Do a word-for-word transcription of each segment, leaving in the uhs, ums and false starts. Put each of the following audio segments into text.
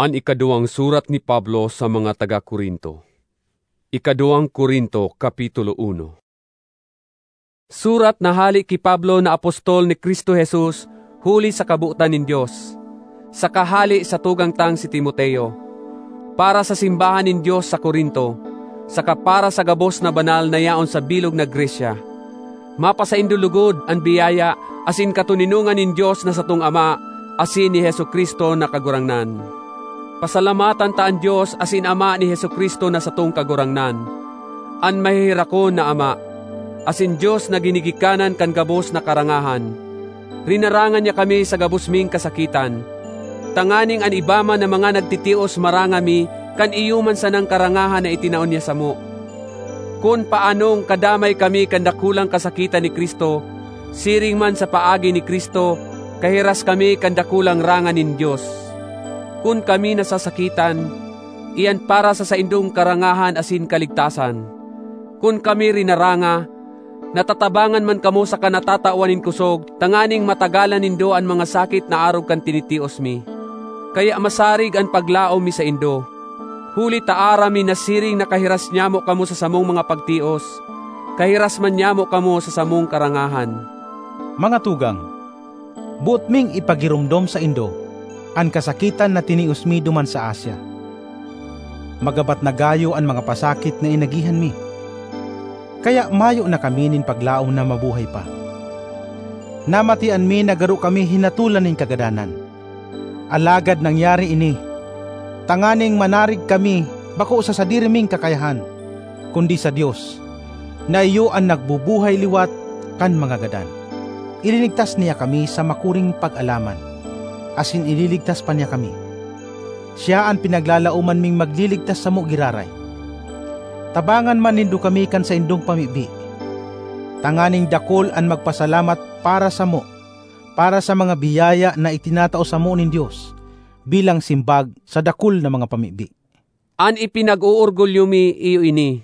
An ikaduwang surat ni Pablo sa mga taga Corinto. Ikaduwang Corinto, Kapitulo uno. Surat na hale ki Pablo na apostol ni Cristo Jesus huli sa kabotan nin Dios, saka hale sa tugang tang si Timoteo, para sa simbahan nin Dios sa Corinto, saka para sa gabos na banal na yaon sa bilog na Grecia. Mapasaindo logod an biyaya asin katoninongan nin Dios na satong Ama asin ni Jesu-Cristo na Kagurangnan. Pasalamatan ta an Dios asin Ama ni Jesu-Cristo na satong Kagurangnan, an maheherakon na Ama, asin Dios na ginigikanan kan gabos na karangahan. Rinarangan niya kami sa gabos ming kasakitan, tanganing an iba man na mga nagtitios maranga mi kan iyo man sanang karangahan na itinao niya samo. Kun paanong kadamay kami kan dakulang kasakitan ni Cristo, siring man sa paagi ni Cristo, kahiras kami kan dakulang rangan nin Dios. Kun kami nasasakitan, iyan para sa saindong karangahan asin kaligtasan. Kun kami rinaranga, natatabangan man kamo saka natatawan nin kosog tanganing matagalan nindo an mga sakit na arog kan tinitios mi. Kaya masarig an paglaom mi saindo, huli ta aram mi na siring nakahiras nyamo kamo sa samong mga pagtios, kahiras man nyamo kamo sa samong karangahan. Mga tugang, boot ming ipagiromdom saindo an kasakitan na tinios mi duman sa Asia. Magabat na gayo an mga pasakit na inagihan mi. Kaya mayo na kami nin paglaom na mabuhay pa. Namatian mi na garo kami hinatolan nin kagadanan. Alagad nangyari ini tanganing manarig kami, bako sa sadiri ming kakayahan, kundi sa Dios, na iyo an nagbubuhay liwat kan mga gadan. Ilinigtas niya kami sa makuring pag-alaman, asin ililigtas pa niya kami. Siya an pinaglalaoman ming magliligtas samo giraray. Tabangan man nindo kami kan saindong pamibi, tanganing dakul an magpasalamat para samo, para sa mga biyaya na itinatao samo nin Dios bilang simbag sa dakul na mga pamibi. An ipinag-oorgulyo mi iyo ini.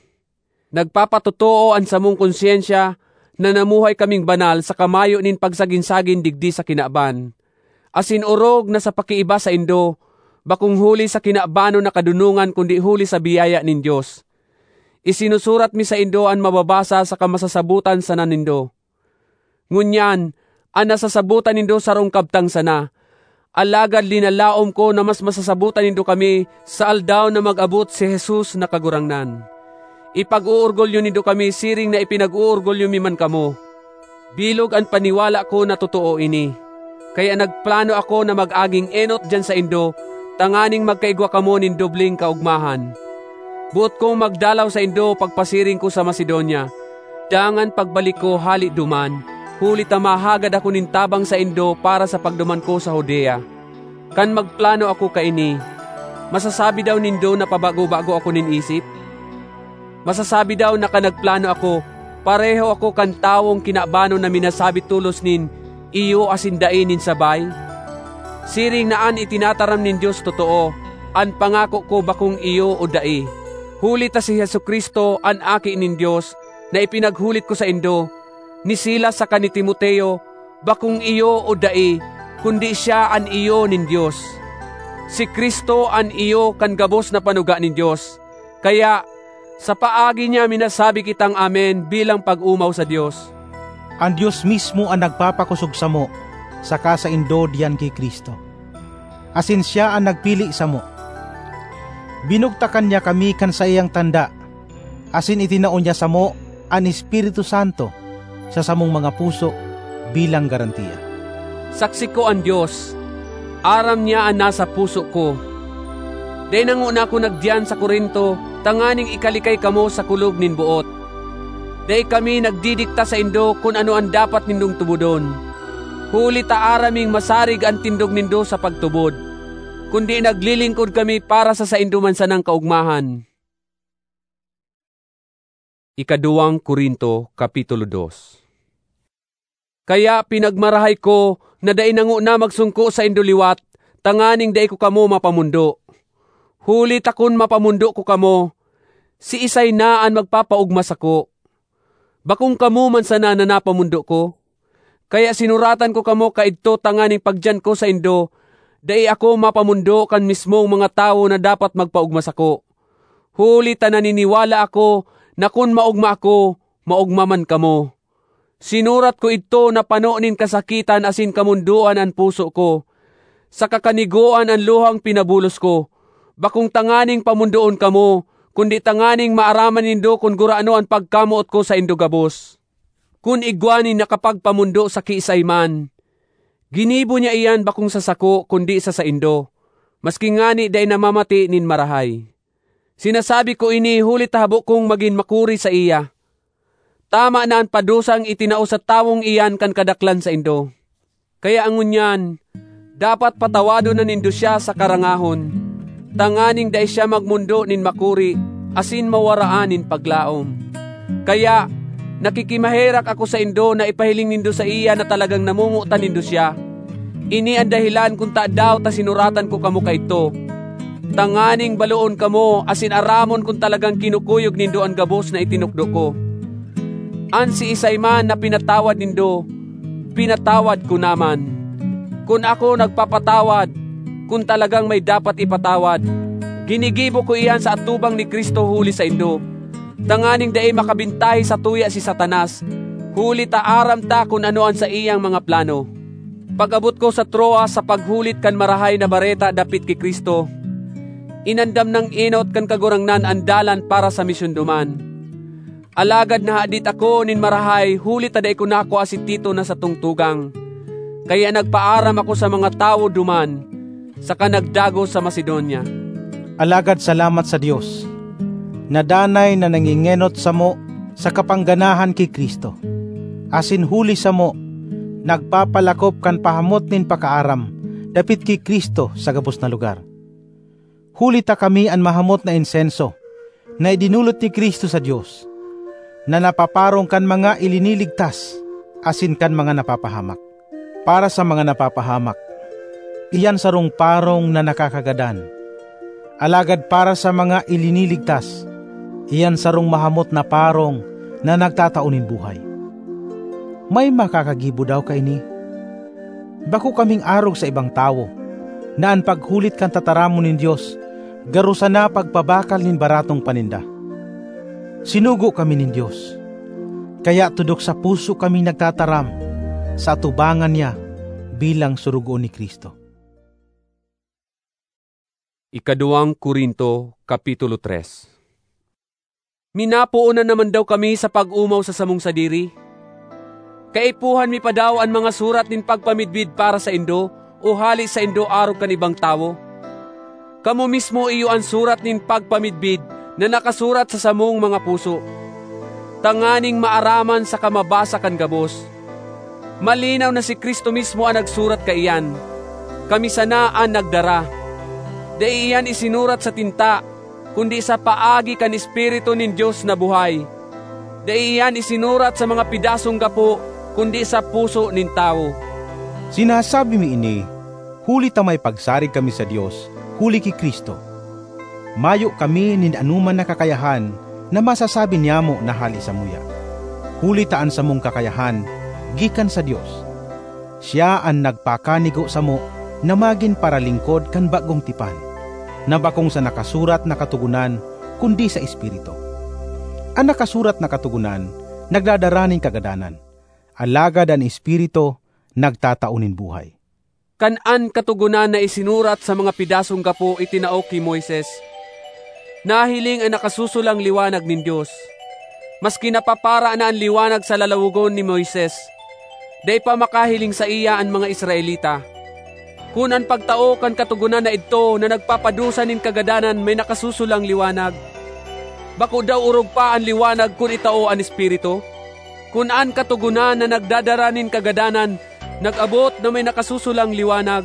Nagpapatotoo an samong konsyensya na namuhay kaming banal saka mayo nin pagsagin-sagin digdi sa kinaban, asin orog na sa pakiiba saindo, bakong huli sa kinabanon na kadonongan kundi huli sa biyaya nin Dios. Isinusurat mi saindo an mababasa saka masasabotan sana nindo. Ngunyan, an nasasabotan nindo sarong kabtang sana, alagad linalaom ko na mas masasabotan nindo kami sa aldaw na mag-abot si Jesus na Kagurangnan. Ipag-oorgulyo nindo kami siring na ipinag-oorgulyo mi man kamo. Bilog an paniwala ko na totoo ini. Kaya nagplano ako na mag-aging enot diyan saindo, tanganing magkaigwa kamo nin dobleng kaogmahan. Boot kong magdalaw saindo pagpasiring ko sa Macedonia, dangan pagbalik ko hale duman, huli ta mahagad ako nin tabang saindo para sa pagduman ko sa Judea. Kan magplano ako kaini, masasabi daw nindo na pabago-bago ako nin isip? Masasabi daw na kan nagplano ako, pareho ako kan tawong kinabanon na minasabi tolos nin iyo asin dai nin sabay? Siring na an itinataram nin Dios totoo, an pangako ko bakong iyo o dai. Huli ta si Jesu-Cristo, an Aki nin Dios, na ipinaghulit ko saindo, ni Silas saka ni Timoteo, bakong iyo o dai, kundi siya an iyo nin Dios. Si Cristo an iyo kan gabos na panuga nin Dios. Kaya, sa paagi niya minasabi kitang amen bilang pag-omaw sa Dios. An Dios mismo an nagpapakosog samo saka saindo diyan ki Cristo, asin siya an nagpili samo. Binugtakan niya kami kan saiyang tanda, asin itinao niya samo an Espiritu Santo sa samong mga puso bilang garantiya. Saksi ko an Dios, aram niya an nasa puso ko. Dai na ngona ako nagdiyan sa Corinto tanganing ikalikay kamo sa kulog nin boot. Dai kami nagdidikta saindo kun ano an dapat nindong tubodon, huli ta aram ming masarig an tindog nindo sa pagtubod, kundi naglilingkod kami para sa saindo man sanang kaogmahan. Ikaduwang Corinto, Kapitulo dos. Kaya pinagmarahay ko na dai na ngona magsungko saindo liwat, tanganing dai ko kamo mapamondo. Huli ta kun mapamondo ko kamo, siisay na an magpapaogma sako? Bakong kamo man sana na napamondo ko? Kaya sinuratan ko kamo kaidto tanganing pagdiyan ko saindo, Dai ako mapamondo kan mismong mga tawo na dapat magpaogma sako, huli ta naniniwala ako na kun maogma ako, maogma man kamo. Sinurat ko idto na pano nin kasakitan asin kamondoan an puso ko, saka kanigoan an luhang pinabulos ko, bakong tanganing pamondoon kamo, kundi tanganing maaraman nindo kun gurano an pagkamoot ko saindo gabos. Kun igwa nin nakapagpamondo sa kiisay man, ginibo niya iyan bakong sa sako kundi sa saindo, maski ngani dai namamati nin marahay. Sinasabi ko ini huli ta habo kong magin makuri saiya. Tama na an padusang itinao sa tawong iyan kan kadaklan saindo. Kaya ngunyan, dapat patawadon na nindo siya sa karangahon, tanganing dai siya magmondo nin makuri asin mawaraan nin paglaom. Kaya, nakikimaherak ako saindo na ipahiling nindo saiya na talagang namomotan nindo siya. Ini an dahelan kun tadaw ta sinuratan ko kamo kaidto, tanganing baloon kamo asin aramon kun talagang kinukuyog nindo an gabos na itinukdo ko. An siisay man na pinatawad nindo, pinatawad ko naman. Kun ako nagpapatawad, kun talagang may dapat ipatawad, ginigibo ko iyan sa atubang ni Cristo huli saindo, tanganing dai makabintahe satuya si Satanas, huli ta aram ta kun ano an saiyang mga plano. Pag-abot ko sa Troas sa paghulit kan Marahay na Bareta dapit ki Cristo, inandam nang enot kan Kagurangnan an dalan para sa misyon duman. Alagad nahadit ako nin marahay huli ta dai ko nakua si Tito na satong tugang. Kaya nagpaaram ako sa mga tawo duman, saka nagdagos sa Macedonia. Alagad salamat sa Dios, na danay na nangengenot samo sa kapangganahan ki Cristo, asin huli samo, nagpapalakop kan pahamot nin pakaaram dapit ki Cristo sa gabos na lugar. Huli ta kami an mahamot na insenso na idinolot ni Cristo sa Dios, na napaparong kan mga iliniligtas asin kan mga napapahamak. Para sa mga napapahamak, iyan sarong parong na nakakagadan. Alagad para sa mga iliniligtas, iyan sarong mahamot na parong na nagtatao nin buhay. May makakagibo daw kaini? Bako kaming arog sa ibang tawo, na an paghulit kan tataramon nin Dios garo sana pagpabakal nin baratong paninda. Sinugo kami nin Dios, kaya tudok sa puso kami nagtataram sa atubangan niya bilang surugoon ni Cristo. Ikaduwang Corinto, Kapitulo tres. Minapoon na naman daw kami sa pag-omaw sa samong sadiri? Kaipuhan mi pa daw an mga surat nin pagpamidbid para saindo o hale saindo arog kan ibang tawo? Kamo mismo iyo an surat nin pagpamidbid na nakasurat sa samong mga puso, tanganing maaraman saka mabasa kan gabos. Malinaw na si Cristo mismo an nagsurat kaiyan. Kami sana an nagdara. Dai iyan isinurat sa tinta, kundi sa paagi kan Espiritu nin Dios na buhay. Dai iyan isinurat sa mga pedasong gapo, kundi sa puso nin tawo. Sinasabi mi ini huli ta may pagsarig kami sa Dios huli ki Cristo. Mayo kami nin anoman na kakayahan na masasabi niyamo na hale samuya, huli ta an samong kakayahan gikan sa Dios. Siya an nagpakanigo samo na magin paralingkod kan bagong tipan, na bakong sa nakasurat na katogonan, kundi sa Espiritu. An nakasurat na katogonan nagdadara nin kagadanan, alagad an Espiritu nagtatao nin buhay. Kan an Katogonan na isinurat sa mga pedasong gapo itinao ki Moises, nahiling an nakasusulang liwanag nin Dios. Maski napapara na an liwanag sa lalawogon ni Moises, dai pa makahiling saiya an mga Israelita. Kun an pagtao kan Katogonan na idto na nagpapadusa nin kagadanan may nakasusulang liwanag, bako daw orog pa an liwanag kun itao an Espiritu? Kun an Katogonan na nagdadara nin kagadanan nag-abot na may nakasusulang liwanag,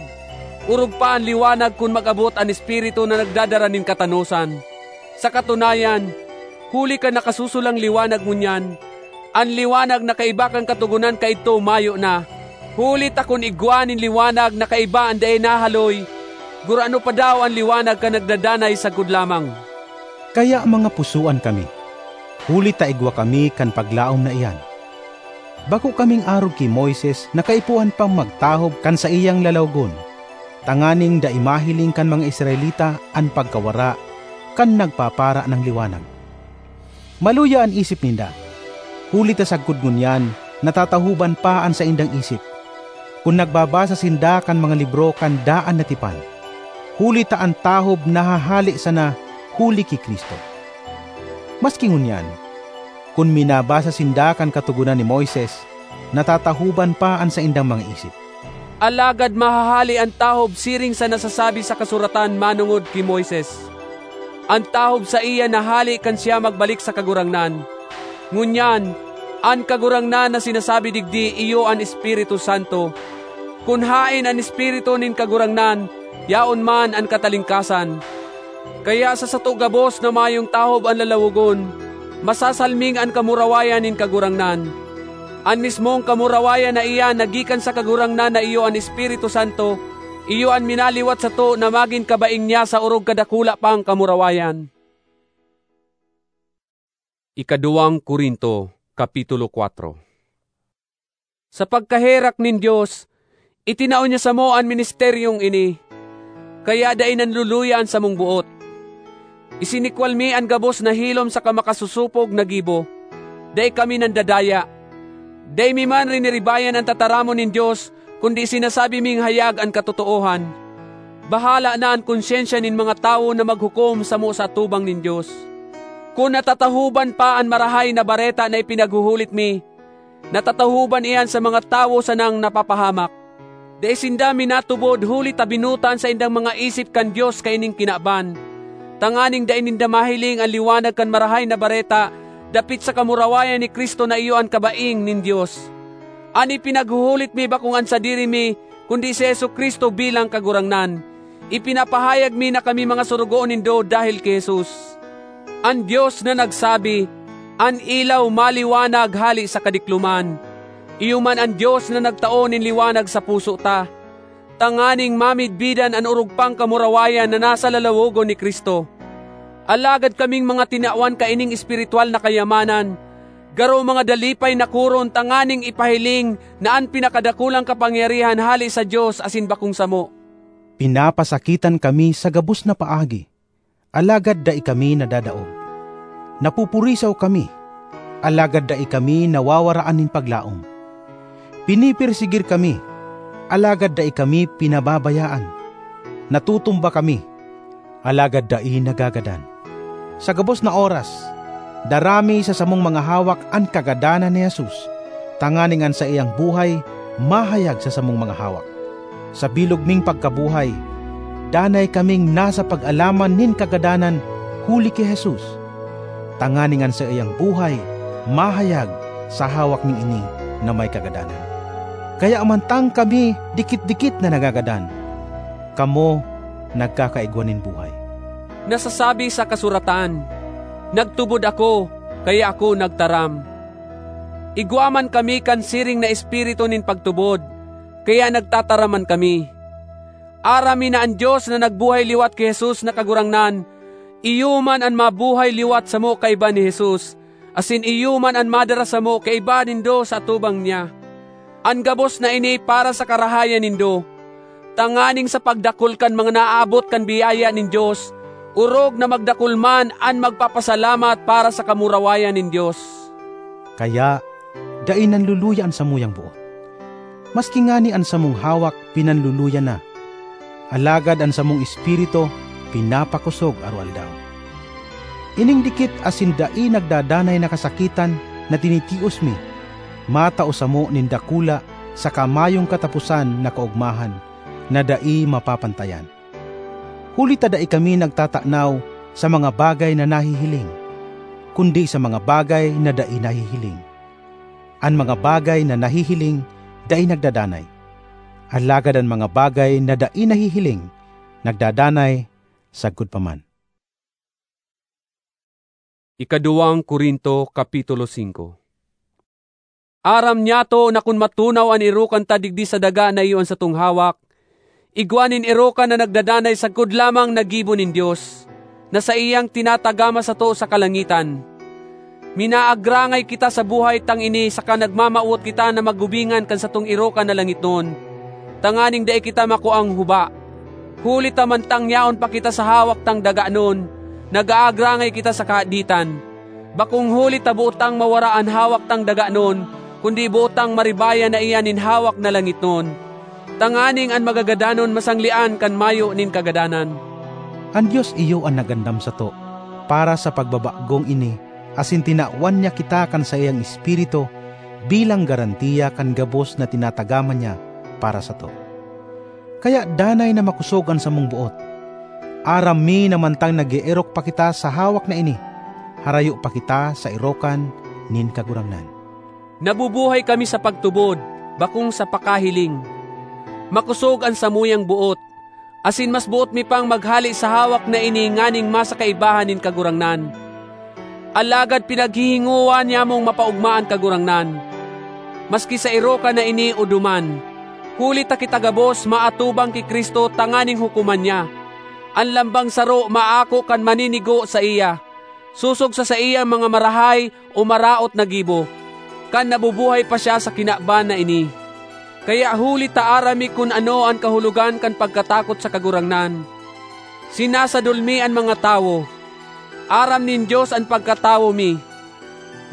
orog pa an liwanag kun mag-abot an Espiritu na nagdadara nin katanosan. Sa katunayan, huli kan nakasusulang liwanag ngunyan, an liwanag na kaiba kan Katogonan kaidto mayo na. Huli ta kun igwa nin liwanag na kaiba an dai nahaloy, gurano pa daw an liwanag kan nagdadanay sagkod lamang? Kaya, mga pusoan kami, huli ta igwa kami kan paglaom na iyan. Bako kaming arog ki Moises na kaipuhan pang magtahob kan saiyang lalawogon. tanganing dai mahiling kan mga Israelita an pagkawara kan nagpapara nang liwanag. Maluya an isip ninda, huli ta sagkod ngunyan natatahoban pa an saindang isip, kun nagbabasa sinda kan mga libro kan daan na tipan, huli ta an tahob nahahale sana huli ki Cristo. Maski ngunyan, kun minabasa sinda kan Katogonan ni Moises, natatahoban pa an saindang mga isip. Alagad mahahale an tahob siring sa nasasabi sa kasuratan manongod ki Moises. An tahob saiya nahale kan siya magbalik sa Kagurangnan. Ngunyan, an Kagurangnan na sinasabi digdi iyo an Espiritu Santo. Kun haen an Espiritu nin Kagurangnan, yaon man an katalingkasan. Kaya sa sato gabos na mayong tahob an lalawogon, masasalming an kamurawayan nin Kagurangnan. An mismong kamurawayan na iyan na gikan sa Kagurangnan na iyo an Espiritu Santo, iyo an minaliwat sato na magin kabaing niya sa orog kadakula pang kamurawayan. Ikaduwang Korinto, Kapitulo kwatro. Sa pagkaherak nin Dios, itinao niya samo an ministeryong ini, kaya dai nanluluya an samong boot. Isinikwal mi an gabos na hilom saka makasosopog na gibo. Dai kami nandadaya. Dai mi man riniribayan an tataramon nin Dios, kundi sinasabi ming hayag an katotoohan. Bahala na an konsyensya nin mga tawo na maghukom samo sa atubang nin Dios. Kun natatahoban pa an Marahay na Bareta na ipinaghuhulit mi, natatahoban iyan sa mga tawo sanang napapahamak. Dai sinda minatubod huli ta binotan saindang mga isip kan Dios kaining kinaban, tanganing dai ninda mahiling an liwanag kan Marahay na Bareta dapit sa kamurawayan ni Cristo na iyo an kabaing nin Dios. An ipinaghuhulit mi bakong an sadiri mi, kundi si Jesu-Cristo bilang Kagurangnan. Ipinapahayag mi na kami mga sorogoon nindo dahel ki Jesus. An Dios na nagsabi, "An ilaw maliwanag hale sa kadikloman." Iyo man an Dios na nagtao nin liwanag sa puso ta, tanganing mamidbidan an orog pang kamurawayan na nasa lalawogon ni Cristo. Alagad kaming mga tinawan kaining espiritual na kayamanan, garo mga dalipay na koron tanganing ipahiling na an pinakadakulang kapangyarihan hale sa Dios asin bakong samo. Pinapasakitan kami sa gabos na paagi, alagad dai kami nadadaog. Napupurisaw kami, alagad dai kami nawawaraan nin paglaom. Pinipersegir kami, alagad dai kami pinababayaan. Natutumba kami, alagad dai nagagadan. Sa gabos na oras, dara mi sa samong mga hawak an kagadanan ni Jesus, tanganing an saiyang buhay mahayag sa samong mga hawak. Sa bilog ming pagkabuhay, danay kaming nasa pag-alaman nin kagadanan huli ki Jesus, tanganing an saiyang buhay mahayag sa hawak nin ini na may kagadanan. Kaya mantang kami dikit-dikit na nagagadan, kamo nagkakaigwa nin buhay. Nasasabi sa kasuratan, "Nagtubod ako, kaya ako nagtaram." Igwa man kami kan siring na espiritu nin pagtubod, kaya nagtataraman kami. Aram mi na an Dios na nagbuhay liwat ki Jesus na Kagurangnan, iyo man an mabuhay liwat samo kaiba ni Jesus, asin iyo man an madara samo kaiba nindo sa atubang niya. An gabos na ini para sa karahayan nindo, tanganing sa pagdakul kan mga naabot kan biyaya nin Dios, orog na magdakul man an magpapasalamat para sa kamurawayan nin Dios. Kaya, dai nanluluya an samuyang boot. Maski ngani an samong hawak pinanluluya na, alagad an samong espiritu pinapakosog aroaldaw. Ining dikit asin dai nagdadanay na kasakitan na tinitios mi, matao samo nin dakula saka mayong kataposan na kaogmahan na dai mapapantayan. Huli ta dai kami nagtatanaw sa mga bagay na nahihiling, kundi sa mga bagay na dai nahihiling. An mga bagay na nahihiling dai nagdadanay, alagad an mga bagay na dai nahihiling nagdadanay sagkod pa man. Ikaduwang Korinto, Kapitulo singko. Aram niyato na kun matunaw an erokan ta digdi sa daga na iyo an satong hawak, igwa nin erokan na nagdadanay sagkod lamang na gibo nin Dios, na saiyang tinatagama sato sa kalangitan. Minaagrangay kita sa buhay tang ini saka nagmamawot kita na magubingan kan satong erokan na langitnon, tanganing dai kita makuang huba. Huli ta mantang yaon pa kita sa hawak tang daganon, nag-aagrangay kita sa kahaditan. Bakong huli ta boot tang mawara an hawak tang daganon, kundi boot tang maribayan na iyan nin hawak na langitnon, tanganing an magagadanon masanglean kan mayo nin kagadanan. An Dios iyo an nagandam sato para sa pagbabagong ini, asin tinawan niya kita kan saiyang Espiritu bilang garantiya kan gabos na tinatagama niya para sato. Kaya danay na makosog an samong boot. Aram mi na mantang nag-eerok pa kita sa hawak na ini, harayo pa kita sa erokan nin Kagurangnan. Nabubuhay kami sa pagtubod, bakong sa pakahiling. Makosog an samuyang boot, asin mas boot mi pang maghale sa hawak na ini nganing masakaibahan nin Kagurangnan. Alagad pinaghihingowa niyamong mapaogma an Kagurangnan, maski sa erokan na ini o duman, huli ta kita gabos maatubang ki Cristo tanganing hukoman niya. An lambang saro maako kan maninigo saiya, sosog sa saiyang mga marahay o maraot na gibo, kan nabubuhay pa siya sa kinaban na ini. Kaya huli ta aram mi kun ano an kahulogan kan pagkatakot sa Kagurangnan, sinasadol mi an mga tawo. Aram nin Dios an pagkatawo mi.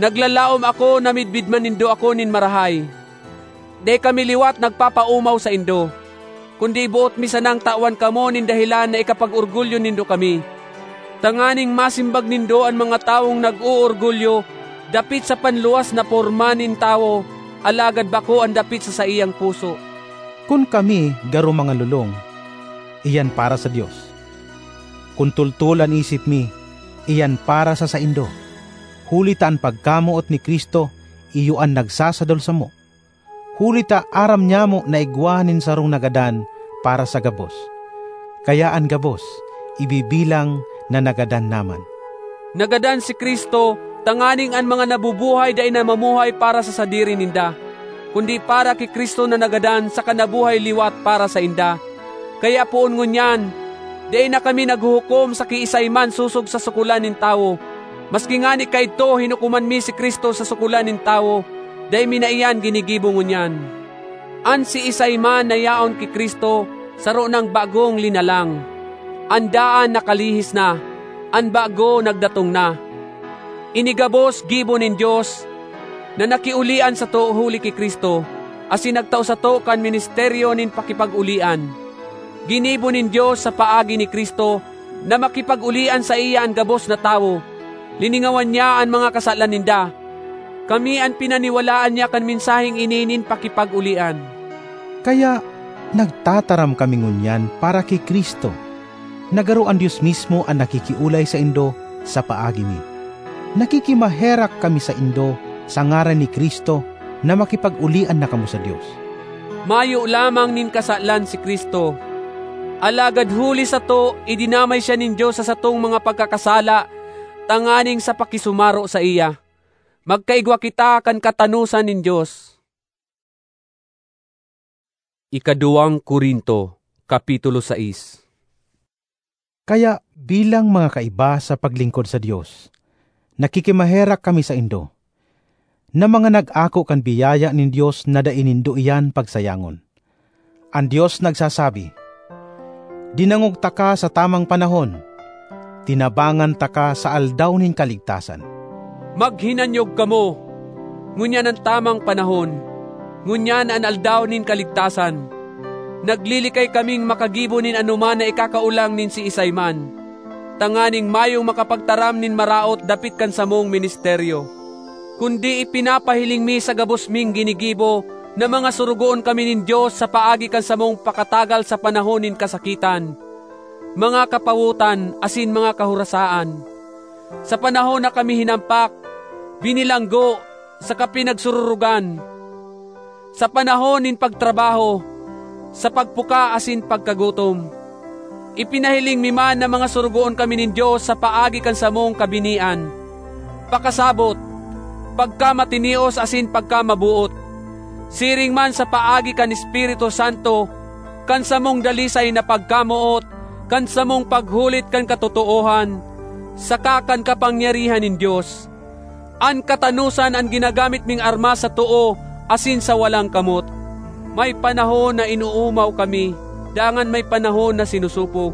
Naglalaom ako na midbid man nindo ako nin marahay. Dai kami liwat nagpapaomaw saindo, kundi boot mi sanang tawan kamo nin dahelan na ikapag-orgulyo nindo kami, tanganing masimbag nindo an mga tawong nag-oorgulyo dapit sa panluwas na porma nin tawo, alagad bako an dapit sa saiyang puso. Kun kami garo mangalolong, iyan para sa Dios. Kun tultol an isip mi, iyan para sa saindo. Huli ta an pagkamoot ni Cristo iyo an nagsasadol samo. Huli ta aram nyamo na igwa nin sarong nagadan para sa gabos. Kaya an gabos, ibibilang na nagadan naman. Nagadan si Cristo tanganing an mga nabubuhay dai na mamuhay para sa sadiri ninda, kundi para ki Cristo na nagadan saka nabuhay liwat para sainda. Kaya poon ngunyan, dai na kami naghuhukom sa kiisay man sosog sa sukolan nin tawo. Maski ngani kaidto hinukoman mi si Cristo sa sukolan nin tawo, dai mi na iyan ginigibo ngunyan. An siisay man na yaon ki Cristo saro nang bagong linalang. An daan nakalihis na, an bago nagdatong na. Ini gabos gibo nin Dios, na nakiolian sato huli ki Cristo, asin nagtao sato kan ministeryo nin pakipag-olian. Ginibo nin Dios sa paagi ni Cristo na makipag-olian saiya an gabos na tawo. Liningawan niya an mga kasalan ninda. Kami an pinaniwalaan niya kan mensaheng ini nin pakipag-olian. Kaya nagtataram kami ngunyan para ki Cristo, na garo an Dios mismo an nakikiolay saindo sa paagi mi. Nakikimaherak kami saindo sa ngaran ni Cristo na makipag-olian na kamo sa Dios. Mayo lamang nin kasalan si Cristo, alagad huli sato, idinamay siya nin Dios sa satong mga pagkakasala tanganing sa pakisumaro saiya, magkaigwa kita kan katanosan nin Dios. Ikaduwang Corinto, Kapitulo sais. Kaya, bilang mga kaiba sa paglingkod sa Dios, nakikimaherak kami saindo, na mga nag-ako kan biyaya nin Dios na dai nindo iyan pagsayangon. An Dios nagsasabi, "Dinangog taka sa tamang panahon, tinabangan taka sa aldaw nin kaligtasan." Maghinanyog kamo, ngunyan an tamang panahon, ngunyan an aldaw nin kaligtasan. Naglilikay kaming makagibo nin anoman na ikakaolang nin siisay man, tanganing mayong makapagtaram nin maraot dapit kan samong ministeryo. Kundi ipinapahiling mi sa gabos ming ginigibo na mga sorogoon kami nin Dios sa paagi kan samong pakatagal sa panahon nin kasakitan, mga kapawotan asin mga kahorasaan, sa panahon na kami hinampak, binilanggo, saka pinagsururugan, sa panahon nin pagtrabaho, sa pagpuka asin pagkagutom. Ipinahiling mi man na mga sorogoon kami nin Dios sa paagi kan samong kabinian, pakasabot, pagkamatinios asin pagkamaboot, siring man sa paagi kan Espiritu Santo, kan samong dalisay na pagkamoot, kan samong paghulit kan katotoohan, saka kan kapangyarihan nin Dios. An katanosan an ginagamit ming armas sa too asin sa walang kamot. May panahon na inoomaw kami, dangan may panahon na sinusupog.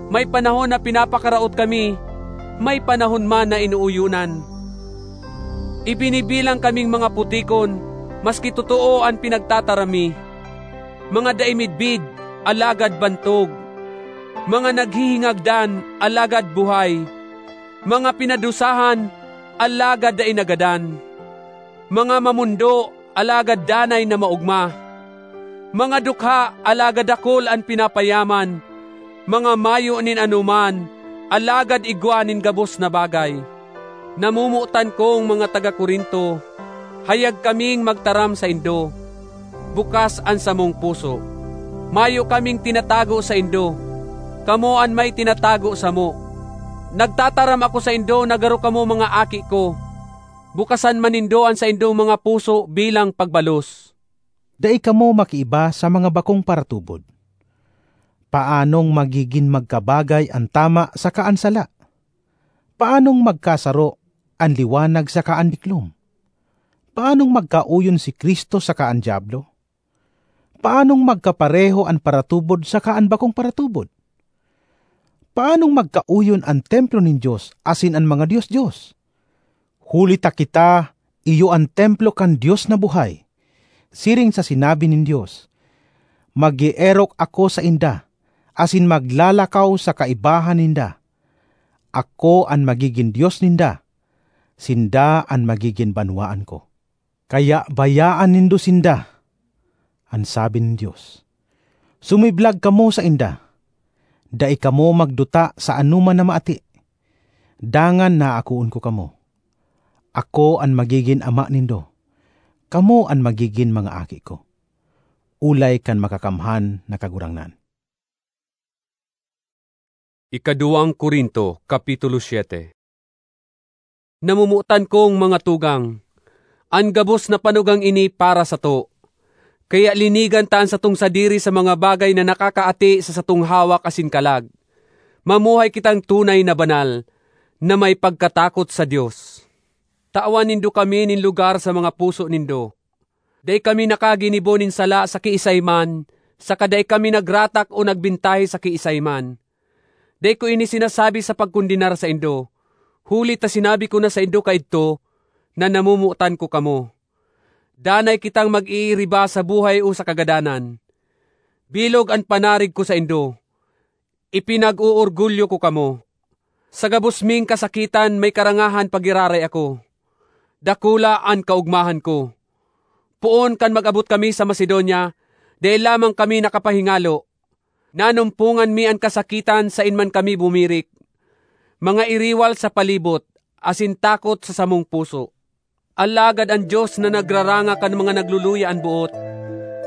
May panahon na pinapakaraot kami, may panahon man na inuuyonan. Ibinibilang kaming mga putikon, maski totoo an pinagtataram mi. Mga dai midbid, alagad bantog. Mga naghihingagdan, alagad buhay. Mga pinadusahan, alagad dai nagadan. Mga mamondo, alagad danay na maogma. Mga dukha, alagad dakul an pinapayaman. Mga mayo nin anoman, alagad igwa nin gabos na bagay. Namomotan kong mga taga Corinto, hayag kaming magtaram saindo. Bukas an samong puso. Mayo kaming tinatago saindo. Kamo an may tinatago samo. Nagtataram ako saindo na garo kamo mga aki ko. Bukasan man nindo an saindong mga puso bilang pagbalos. Dai kamo makiiba sa mga bakong paratubod. Paanong magigin magkabagay an tama saka an sala? Paanong magkasaro an liwanag saka an diklom? Paanong magkaoyon si Cristo saka an Diablo? Paanong magkapareho an paratubod saka an bakong paratubod? Paanong magkaoyon an templo nin Dios asin an mga dios-dios? Huli ta kita iyo an templo kan Dios na buhay. Siring sa sinabi nin Dios, "Mag-eerok ako sainda, asin maglalakaw sa kaibahan ninda. Ako an magigin Dios ninda, sinda an magigin banwaan ko." "Kaya bayaan nindo sinda," an sabi nin Dios. "Sumiblag kamo sainda. Dai kamo magduta sa anoman na maati. Dangan naakoon ko kamo. Ako an magigin ama nindo. Kamo an magigin mga aki ko, ulay kan Makakamhan na Kagurangnan." Ikaduwang Corinto, Kapitulo siete. Namomotan kong mga tugang, an gabos na panugang ini para sato. Kaya linigan ta an satong sadiri sa mga bagay na nakakaati sa satong hawak asin kalag. Mamuhay kitang tunay na banal, na may pagkatakot sa Dios. Tawan nindo kami nin lugar sa mga puso nindo. Dai kami nakaginibo nin sala sa kiisay man, saka dai kami nagratak o nagbintahe sa kiisay man. Dai ko ini sinasabi sa pagkondenar saindo, huli ta sinabi ko na saindo kaidto na namomotan ko kamo. Danay kitang mag-iiriba sa buhay o sa kagadanan. Bilog an panarig ko saindo. Ipinag-oorgulyo ko kamo. Sa gabos ming kasakitan may karangahan pagiraray ako. Dakula an kaogmahan ko. Poon kan mag-abot kami sa Macedonia, dai lamang kami nakapahingalo. Nanumpongan mi an kasakitan saen man kami bumirik. Mga iriwal sa palibot, asin takot sa samong puso. Alagad an Dios na nagraranga kan mga nagluluya an boot,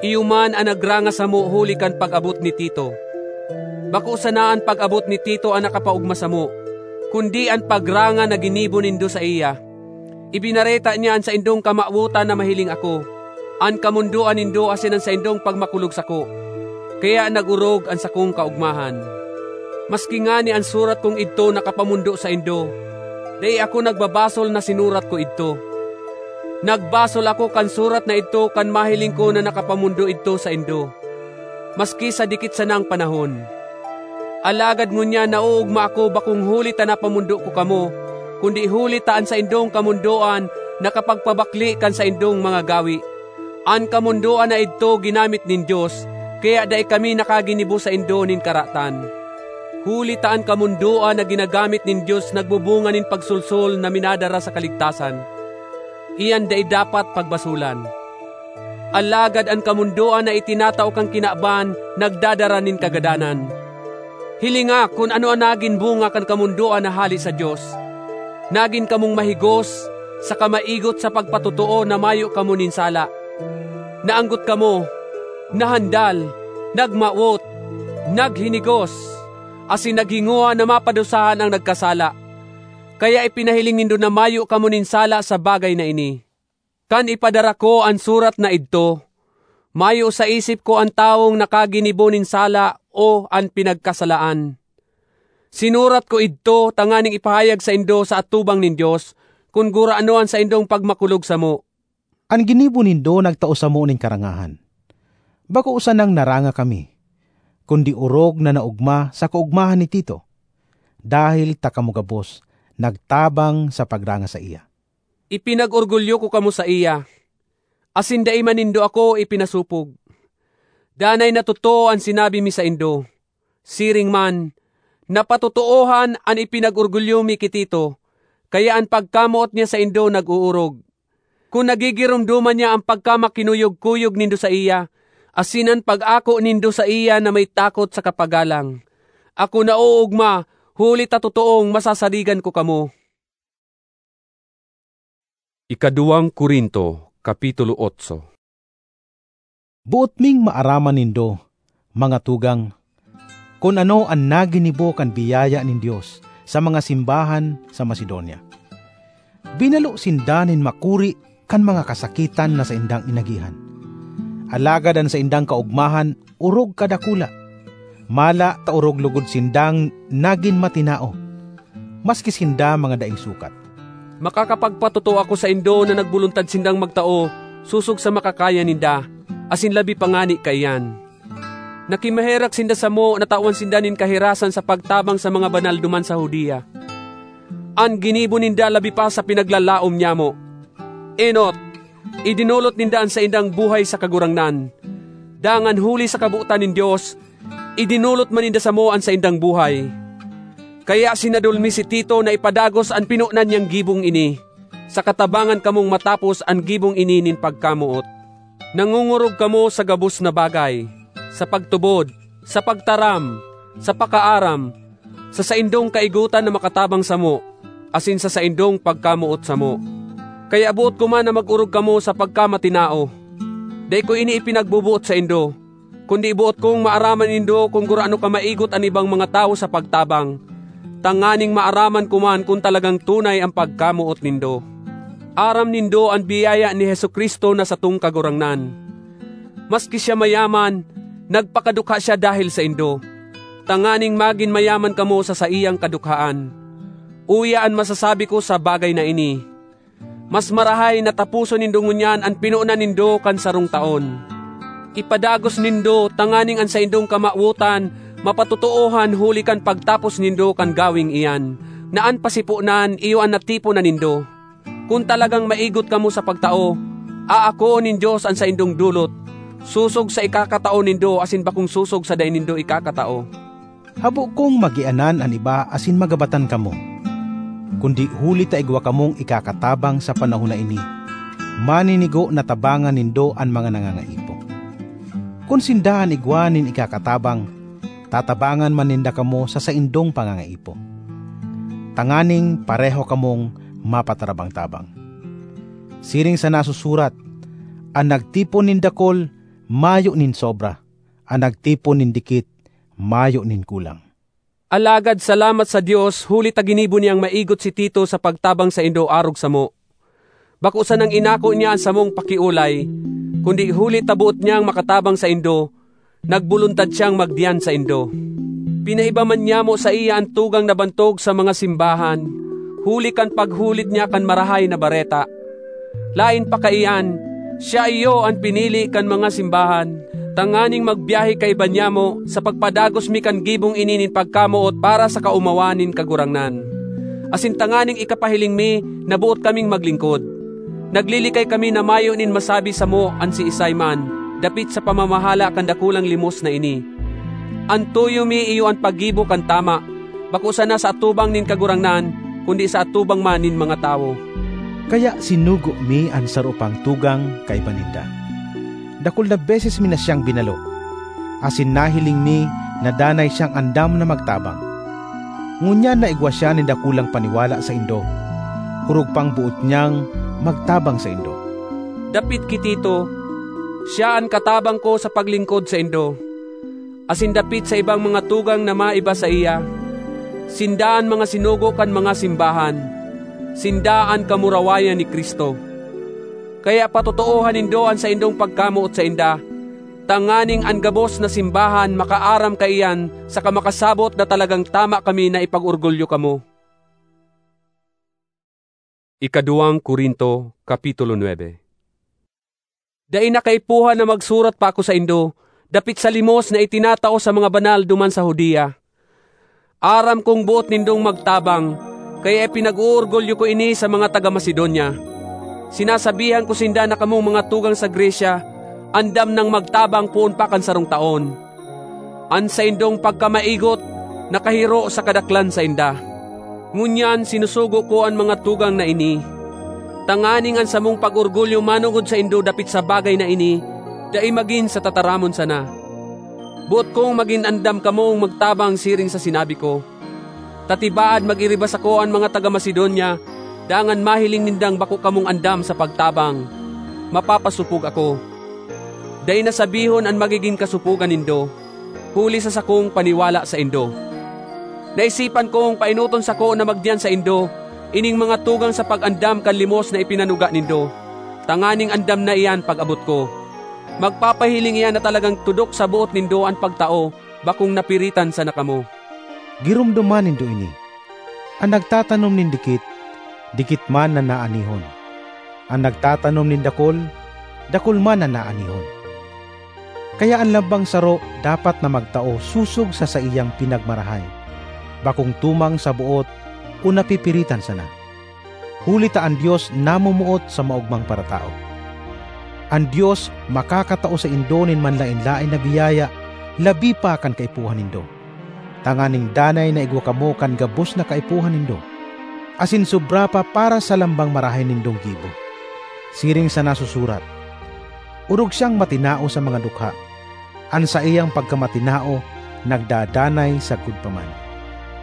iyo man an nagranga samo huli kan pag-abot ni Tito. Bako sana an pag-abot ni Tito an nakapaogma samo, kundi an pagranga na ginibo nindo saiya. Ibinareta niya an saindong kamawotan na mahiling ako, an kamondoan nindo asin an saindong pagmakulog sako. Kaya nag-orog an sakong kaogmahan. Maski ngani an surat kong idto nakapamondo saindo, dai ako nagbabasol na sinurat ko idto. Nagbasol ako kan surat na idto kan mahiling ko na nakapamondo idto saindo, maski sa dikit sanang panahon. Alagad ngunyan naoogma ako, bakong huli ta napamondo ko kamo, kundi huli ta an saindong kamondoan nakapagpabakle kan saindong mga gawe. An kamondoan na idto ginamit nin Dios, kaya dai kami nakaginibo saindo nin karatan. Huli ta an kamondoan na ginagamit nin Dios nagbubunga nin pagsolsol na minadara sa kaligtasan. Iyan dai dapat pagbasolan. Alagad an kamondoan na itinatao kan kinaban nagdadara nin kagadanan. Hilinga kun ano an nagin bunga kan kamondoan na hale sa Dios. Nagin kamong mahigos saka maigot sa pagpatotoo na mayo kamo nin sala. Naanggot kamo, nahandal, nagmawot, naghinigos, asin naghingowa na mapadusahan an nagkasala. Kaya ipinahiling nindo na mayo kamo nin sala sa bagay na ini. Kan ipadara ko an surat na idto, mayo sa isip ko an tawong nakaginibo nin sala o an pinagkasalaan. Sinurat ko idto tanganing ipahayag saindo sa atubang nin Dios kun gurano an saindong pagmakulog samo. An ginibo nindo nagtao samo nin karangahan. Bako sanang naranga kami, kundi orog na naogma sa kaogmahan ni Tito, dahel ta kamo gabos nagtabang sa pagranga saiya. Ipinag-orgulyo ko kamo saiya, asin dai man nindo ako ipinasopog. Danay na totoo an sinabi mi saindo. Siring man, napatotoohan an ipinag-orgulyo mi ki Tito, kaya an pagkamoot niya saindo nag-oorog. Kun nagigiromdoman niya an pagkamakinuyog-kuyog nindo saiya, asin an pag-ako nindo saiya na may takot saka pagalang, ako naoogma, huli ta totoong masasaligan ko kamo. Ikaduwang Corinto, Kapitulo otso. Boot ming maaraman nindo, mga tugang, kun ano an naginibo kan biyaya nin Dios sa mga simbahan sa Macedonia. Binalo sinda nin makuri kan mga kasakitan na saindang inagihan. Alagad an saindang kaogmahan orog kadakula. Mala ta orog logod sindang nagin matinao, maski sinda mga daing sukat. Makakapagpatotoo ako saindo na nagbuluntad sindang magtao sosog sa makakaya ninda, asin labi pa ngani kaiyan. Nakimaherak sinda samo na tawan sinda nin kahirasan sa pagtabang sa mga banal duman sa Judea. An ginibo ninda labi pa sa pinaglalaom nyamo. Enot, idinolot ninda an saindang buhay sa Kagurangnan. Dangan huli sa kabotan nin Dios, idinolot man ninda samo an saindang buhay. Kaya sinadol mi si Tito na ipadagos an pinonan niyang gibong ini, sa katabangan kamong matapos an gibong ini nin pagkamoot. Nangongorog kamo sa gabos na bagay, sa pagtubod, sa pagtaram, sa pakaaram, sa saindong kaigotan na makatabang samo, asin sa saindong pagkamoot samo. Kaya boot ko man na mag-orog kamo sa pagkamatinao. Dai ko ini ipinagboboot saindo, kundi boot kong maaraman nindo kun gurano kamaigot an ibang mga tawo sa pagtabang, tanganing maaraman ko man kun talagang tunay an pagkamoot nindo. Aram nindo an biyaya ni Jesu-Cristo na satong Kagurangnan. Maski siya mayaman, nagpakadukha siya dahel saindo, tanganing magin mayaman kamo sa saiyang kadukhaan. Uya an masasabi ko sa bagay na ini: mas marahay na taposon nindo ngunyan an pinonan nindo kan sarong taon. Ipadagos nindo tanganing an saindong kamawotan mapatotoohan huli kan pagtapos nindo kan gaweng iyan, na an pasiponan iyo an natipon na nindo. Kun talagang maigot kamo sa pagtao, aakoon nin Dios an saindong dolot, sosog sa ikakatao nindo asin bakong sosog sa dai nindo ikakatao. Habo kong magianan an iba asin magabatan kamo, kundi huli ta igwa kamong ikakatabang sa panahon na ini, maninigo na tabangan nindo an mga nangangaipo. Kun sinda an igwa nin ikakatabang, tatabangan man ninda kamo sa saindong pangangaipo, tanganing pareho kamong mapatarabang-tabang. Siring sa nasusurat, "An nagtipon nin dakul, mayo nin sobra; an nagtipon nin dikit, mayo nin kulang." Alagad salamat sa Dios, huli ta ginibo niyang maigot si Tito sa pagtabang saindo arog samo. Bako sanang inako niya an samong pakiolay, kundi huli ta boot niyang makatabang saindo, nagboluntad siyang magdiyan saindo. Pinaiba man nyamo saiya an tugang na bantog sa mga simbahan, huli kan paghulit niya kan Marahay na Bareta. Laen pa kaiyan, siya iyo an pinili kan mga simbahan, tanganing magbyahe kaiba nyamo sa pagpadagos mi kan gibong ini nin pagkamoot para sa kaomawan nin Kagurangnan. Asin tanganing ikapahiling mi na boot kaming maglingkod, naglilikay kami na mayo nin masabi samo an siisay man dapit sa pamamahala kan dakulang limos na ini. An tuyo mi iyo an paggibo kan tama, bako sana sa atubang nin Kagurangnan, kundi sa atubang man nin mga tawo. Kaya sinugo mi an saro pang tugang kaiba ninda. Dakul na beses mi na siyang binalo, asin nahiling mi na danay siyang andam na magtabang. Ngunyan naigwa siya nin dakulang paniwala saindo, orog pang boot niyang magtabang saindo. Dapit ki Tito, siya an katabang ko sa paglingkod saindo. Asin dapit sa ibang mga tugang na maiba saiya, sinda an mga sinugo kan mga simbahan, sinda an kamurawayan ni Cristo. Kaya patotoohan nindo an saindong pagkamoot sainda, tanganing an gabos na simbahan makaaram kaiyan saka makasabot na talagang tama kami na ipag-orgulyo kamo. Ikaduwang Corinto, Kapitulo nuebe. Dai na kaipuhan na magsurat pa ako saindo, dapit sa limos na itinatao sa mga banal duman sa Judea. Aram kong boot nindong magtabang, kaya ipinag-oorgulyo ko ini sa mga taga Macedonia. Sinasabihan ko sinda na kamong mga tugang sa Grecia andam nang magtabang poon pa kan sarong taon. An saindong pagkamaigot nakahiro sa kadaklan sainda. Ngunyan sinusugo ko an mga tugang na ini, tanganing an samong pag-orgulyo manongod saindo dapit sa bagay na ini dai magin sa tataramon sana. Boot kong magin andam kamong magtabang siring sa sinabi ko, ta tibaad mag-iriba sako an mga taga Macedonia, dangan mahiling nindang bako kamong andam sa pagtabang. Mapapasopog ako. Dai na sabihon an magigin kasopogan nindo, huli sa sakong paniwala saindo. Naisipan kong paenoton sako na magdiyan saindo ining mga tugang sa pag-andam kan limos na ipinanuga nindo, tanganing andam na iyan pag-abot ko. Magpapahiling iyan na talagang tudok sa boot nindo an pagtao, bakong napiritan sana kamo. Giromdoman nindo ini: an nagtatanom nin dikit, dikit man na naanihon. An nagtatanom nin dakul, dakul man na naanihon. Kaya an lambang saro dapat na magtao sosog sa saiyang pinagmarahay, bakong tumang sa boot o napipiritan sana, huli ta an Dios namomoot sa maogmang paratao. An Dios makakatao saindo nin manlaen-laen na biyaya labi pa kan kaipuhan nindo, tanganing danay na igwa kamo kan gabos na kaipuhan nindo, asin sobra pa para sa lambang marahay nindong gibo. Siring sa nasusurat, "Orog siyang matinao sa mga dukha; an saiyang pagkamatinao nagdadanay sagkod pa man."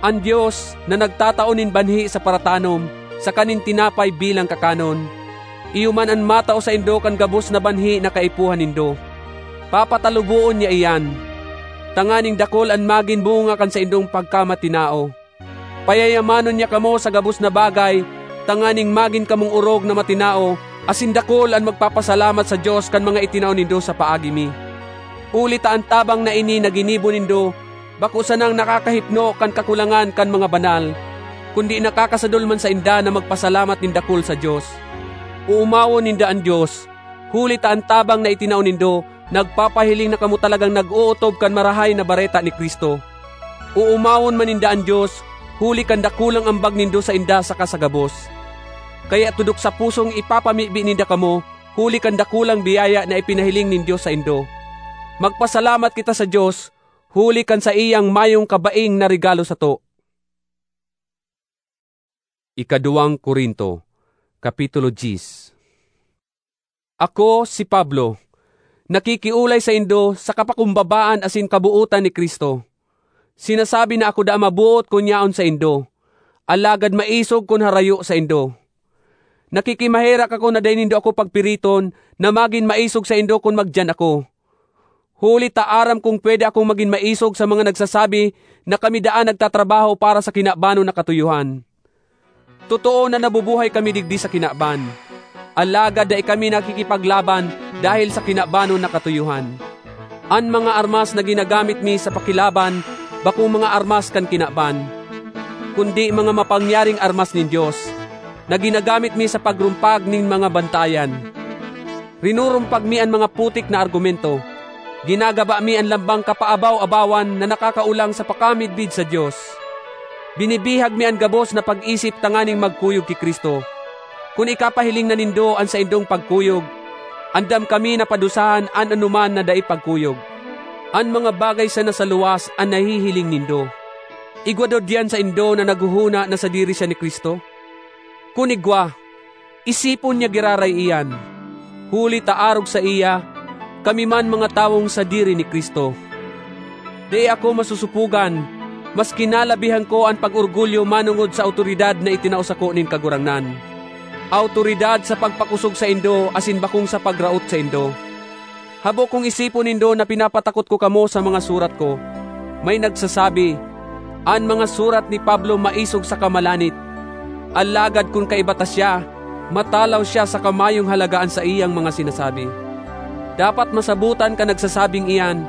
An Dios, na nagtatao nin banhi sa paratanom saka nin tinapay bilang kakanon, iyo man an matao saindo kan gabos na banhi na kaipuhan nindo. Papataluboon niya iyan, tanganing dakul an magin bunga kan saindong pagkamatinao. Payayamanon niya kamo sa gabos na bagay, tanganing magin kamong orog na matinao, asin dakul an magpapasalamat sa Dios kan mga itinao nindo sa paagi mi. Huli ta an tabang na ini na ginibo nindo bako sanang nakakahipno kan kakulangan kan mga banal, kundi nakakasadol man sainda na magpasalamat nin dakul sa Dios. Oomawon ninda an Dios, huli ta an tabang na itinao nindo nagpapahiling na kamo talagang nag-ootob kan Marahay na Bareta ni Cristo. Oomawon man ninda an Dios huli kan dakulang ambag nindo sainda saka sa gabos. Kaya tudok sa pusong ipapamibi ninda kamo huli kan dakulang biyaya na ipinahiling nin Dios saindo. Magpasalamat kita sa Dios huli kan saiyang mayong kabaing na regalo sato. Ikaduwang Corinto, Kapitulo diyes. Ako, si Pablo, nakikiolay saindo sa kapakumbabaan asin kabootan ni Cristo. Sinasabi na ako daa maboot kun yaon saindo, alagad maisog kun harayo saindo. Nakikimaherak ako na dai nindo ako pagpiriton na magin maisog saindo kun magdiyan ako. Huli ta aram kong pwede akong magin maisog sa mga nagsasabi na kami daa nagtatrabaho para sa kinabanon na katuyohan. Totoo na nabubuhay kami digdi sa kinaban, alagad dai kami nakikipaglaban dahel sa kinabanon na katuyohan. An mga armas na ginagamit mi sa pakilaban bakong mga armas kan kinaban, kundi mga mapangyaring armas nin Dios, na ginagamit mi sa pagrumpag nin mga bantayan. Rinurumpag mi an mga putik na argumento. Ginagaba mi an lambang kapaabaw-abawan na nakakaolang sa pakamidbid sa Dios. Binibihag mi an gabos na pag-isip tanganing magkuyog ki Cristo. Kun ikapahiling na nindo an saindong pagkuyog, andam kami na padusahan an anoman na dai pagkuyog. An mga bagay sana sa luwas an nahihiling nindo. Igwa daw diyan saindo na naghohona na sadiri siya ni Cristo? Kun igwa, isipon niya giraray iyan, huli ta arog saiya, kami man mga tawong sadiri ni Cristo. Dai ako masusupogan, maski nalabihan ko an pag-orgulyo manongod sa awtoridad na itinao sako nin Kagurangnan, awtoridad sa pagpakosog saindo asin bakong sa pagraot saindo. Habo kong isipon nindo na pinapatakot ko kamo sa mga surat ko. May nagsasabi, "An mga surat ni Pablo maisog saka malanit." Alagad kun kaiba ta siya, matalaw siya saka mayong halaga an saiyang mga sinasabi. Dapat masabotan kan nagsasabing iyan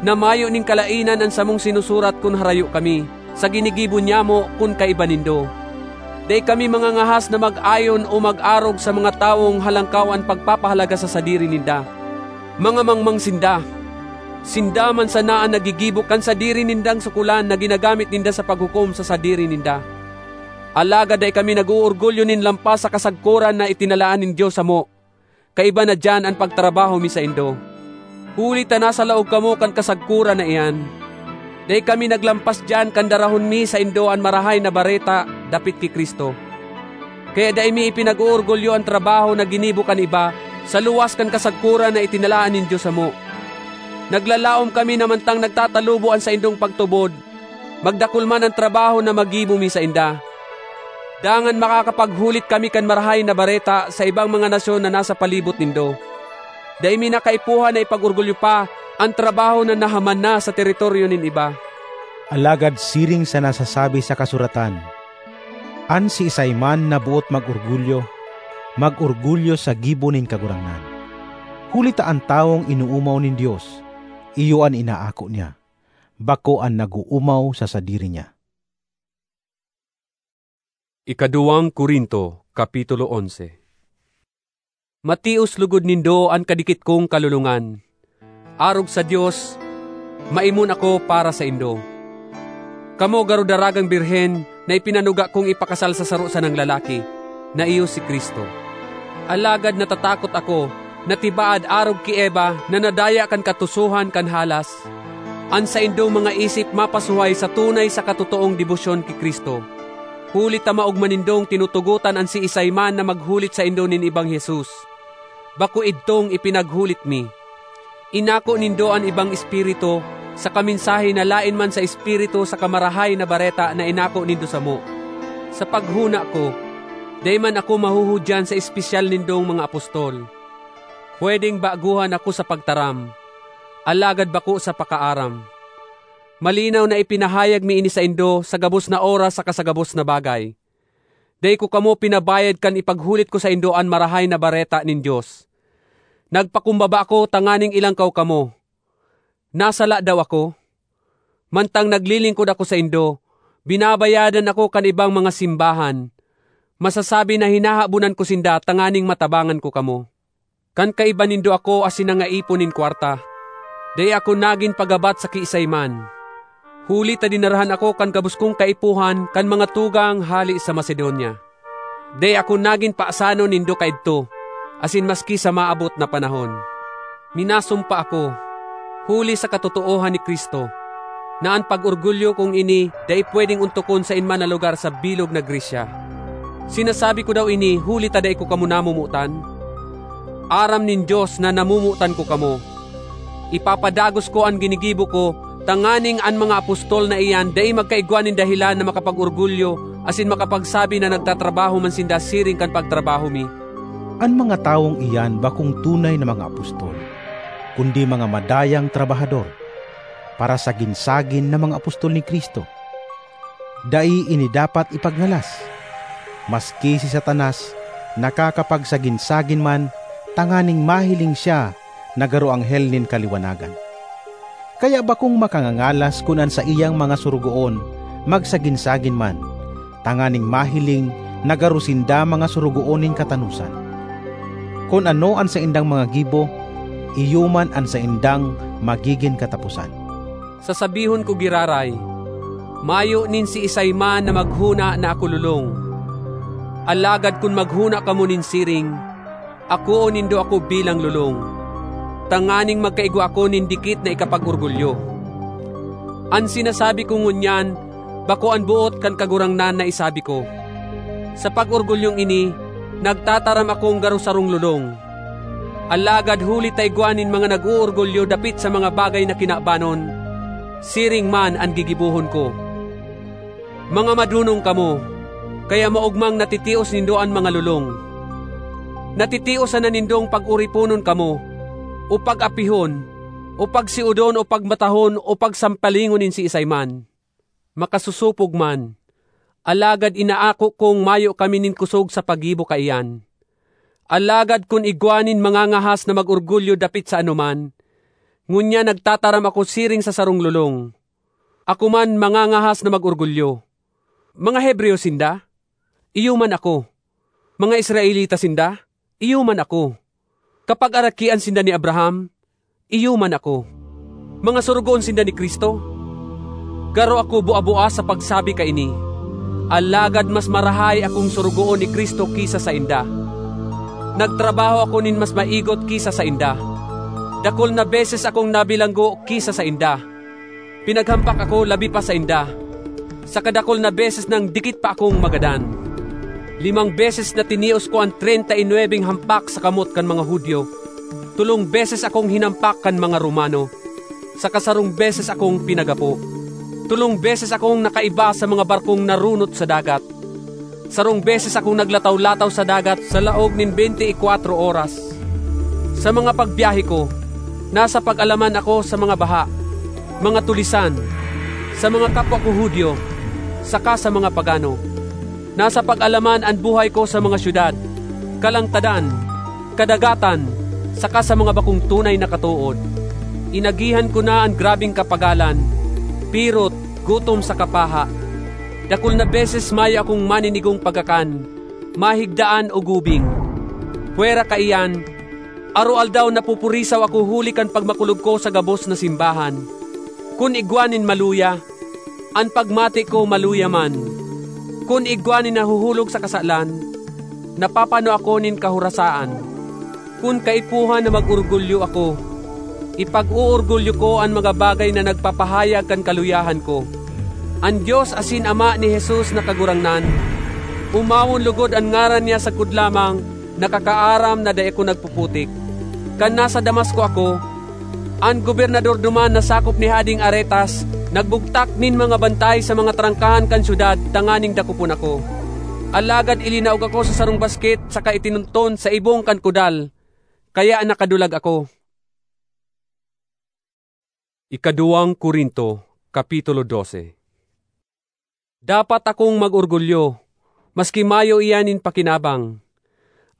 na mayo nin kalaenan an samong sinusurat kun harayo kami, sa ginigibo niyamo kun kaiba nindo. Dai kami mangangahas na mag-ayon o mag-arog sa mga tawong halangkaw an pagpapahalaga sa sadiri ninda. Mga mangmang sinda. Sinda man sana an naggigibo kan sadiri nindang sukolan na ginagamit ninda sa paghukom sa sadiri ninda. Alagad dai kami nag-oorgulyo nin lampas sa kasagkoran na itinalaan nin Dios samo. Kaiba na diyan an pagtrabaho mi saindo, huli ta nasa laog kamo kan kasagkoran na iyan. Dai kami naglampas diyan kan darahon mi saindo an Marahay na Bareta dapit ki Cristo. Kaya dai mi ipinag-oorgulyo an trabaho na ginibo kan iba sa luwas kan kasagkoran na itinalaan nin Dios samo. Naglalaom kami na mantang nagtatalubo an saindong pagtubod, magdakul man an trabaho na magibo mi sainda, dangan makakapaghulit kami kan Marahay na Bareta sa ibang mga nasyon na nasa palibot nindo. Dai mi na kaipuhan na ipag-orgulyo pa an trabaho na nahaman na sa teritoryo nin iba. Alagad siring sa nasasabi sa kasuratan, "An siisay man na boot mag-orgulyo, mag-orgulyo sa gibo nin Kagurangnan." Huli ta an tawong inoomaw nin Dios, iyo an inaako niya, bako an nag-oomaw sa sadiri niya. Ikaduwang Corinto, Kapitulo onse. Matios lugod nindo an kadikit kong kalolongan. Arog sa Dios, maimon ako para saindo. Kamo garo daragang birhen na ipinanuga kong ipakasal sa saro sanang lalaki, na iyo si Cristo. Alagad natatakot ako na tibaad arog ki Eva na nadaya kan katusohan kan halas, an saindong mga isip mapasuhay sa tunay saka totoong debosyon ki Cristo. Huli ta maogma nindong tinutugotan an siisay man na maghulit saindo nin ibang Jesus. Bako idtong ipinaghulit mi. Inako nindo an ibang espiritu saka mensahe na laen man sa Espiritu saka Marahay na Bareta na inako nindo samo. Sa paghona ko, dai man ako mahuhudyan sa espesyal nindong mga apostol. Pwedeng baguhan ako sa pagtaram, alagad bako sa pakaaram. Malinaw na ipinahayag mi ini saindo sa gabos na oras saka sa gabos na bagay. Dai ko kamo pinabayad kan ipaghulit ko saindo an Marahay na Bareta nin Dios. Nagpakumbaba ako tanganing ilangkaw kamo. Nasala daw ako? Mantang naglilingkod ako saindo, binabayadan ako kan ibang mga simbahan. Masasabi na hinahabonan ko sinda tanganing matabangan ko kamo. Kan kaiba nindo ako asin nangaipon nin kwarta, dai ako nagin pagabat sa kiisay man, huli ta dinarahan ako kan gabos kong kaipuhan kan mga tugang hale sa Macedonia. Dai ako nagin paasanon nindo kaidto, asin maski sa maabot na panahon. Minasumpa ako, huli sa katotoohan ni Cristo, na an pag-orgulyo kong ini dai pwedeng ontokon sa in man na lugar sa bilog na Grecia. Sinasabi ko daw ini huli ta dai ko kamo namomotan? Aram nin Dios na namomotan ko kamo. Ipapadagos ko an ginigibo ko, tanganing an mga apostol na iyan dai magkaigwa nin dahelan na makapag-orgulyo asin makapagsabi na nagtatrabaho man sinda siring kan pagtrabaho mi. An mga tawong iyan bakong tunay na mga apostol, kundi mga madayang trabahador, parasagin-sagin na mga apostol ni Cristo. Dai ini dapat ipagngalas, maski si Satanas nakakapagsagin-sagin man tanganing mahiling siya na garo anghel nin kaliwanagan. Kaya bakong makangangalas kun an saiyang mga sorogoon magsagin-sagin man, tanganing mahiling na garo sinda mga sorogoon nin katanosan. Kun ano an saindang mga gibo, iyo man an saindang magigin kataposan. Sasabihon ko giraray, mayo nin siisay man na maghona na ako lolong. Alagad kun maghona kamo nin siring, akoon nindo ako bilang lolong, tanganing magkaigwa ako nin dikit na ikapag-orgulyo. An sinasabi ko ngunyan, bako an boot kan Kagurangnan na isabi ko. Sa pag-orgulyong ini, nagtataram akong garo sarong lolong. Alagad huli ta igwa nin mga nag-oorgulyo dapit sa mga bagay na kinabanon, siring man an gigibohon ko. Mga madonong kamo, kaya maogmang natitios nindo an mga lolong. Natitios sana nindong pag-oriponon kamo, o pag-apihon, o pagsiodon, o pagmatahon, o pagsampalingon nin siisay man. Makasosopog man, alagad inaako kong mayo kami nin kosog sa paggibo kaiyan. Alagad kun igwa nin mangangahas na mag-orgulyo dapit sa anoman, ngunyan nagtataram ako siring sa sarong lolong. Ako man mangangahas na mag-orgulyo. Mga Hebreo sinda? Iyo man ako. Mga Israelita sinda? Iyo man ako. Kapagarakian sinda ni Abraham? Iyo man ako. Mga sorogoon sinda ni Cristo? Garo ako bua-bua sa pagsabi kaini, alagad mas marahay akong sorogoon ni Cristo ki sa sainda. Nagtrabaho ako nin mas maigot ki sa sainda. Dakul na beses akong nabilanggo ki sa sainda. Pinaghampak ako labi pa sainda. Sa kadakul na beses nang dikit pa akong magadan. Limang beses na tinios ko an treinta y nuebeng hampak sa kamot kan mga Judio. Tolong beses akong hinampak kan mga Romano. Saka sarong beses akong pinagapo. Tolong beses akong nakaiba sa mga barkong narunot sa dagat. Sarong beses akong naglataw-lataw sa dagat sa laog nin bente y kwatro oras. Sa mga pagbiyahe ko, nasa pag-alaman ako sa mga baha, mga tulisan, sa mga kapwa ko Judio, saka sa mga pagano. Nasa pag-alaman an buhay ko sa mga syudad, kalangtadan, kadagatan, saka sa mga bakong tunay na katood. Inagihan ko na an grabeng kapagalan, pirot, gutom saka paha. Dakul na beses mayo akong maninigong pagkakan, mahigdaan o gubing. Pwera kaiyan, aroaldaw napupurisaw ako huli kan pagmakulog ko sa gabos na simbahan. Kun igwa nin maluya, an pagmati ko maluya man. Kun igwa nin nahuhulog sa kasalan, napapano ako nin kahorasaan. Kun kaipuhan na mag-orgulyo ako, ipag-oorgulyo ko an mga bagay na nagpapahayag kan kaluyahan ko. An Dios asin Ama ni Jesus na Kagurangnan, omawon logod an ngaran niya sagkod lamang, nakakaaram na dai ako nagpuputik. Kan nasa Damasco ako, an gobernador duman na sakop ni Hading Aretas nagbugtak nin mga bantay sa mga trangkahan kan syudad tanganing dakopon ako. Alagad ilinaog ako sa sarong basket saka itinunton sa ibong kan kudal, kaya nakadulag ako. Ikaduwang Corinto, Kapitulo dose. Dapat akong mag-orgulyo, maski mayo iyan nin pakinabang.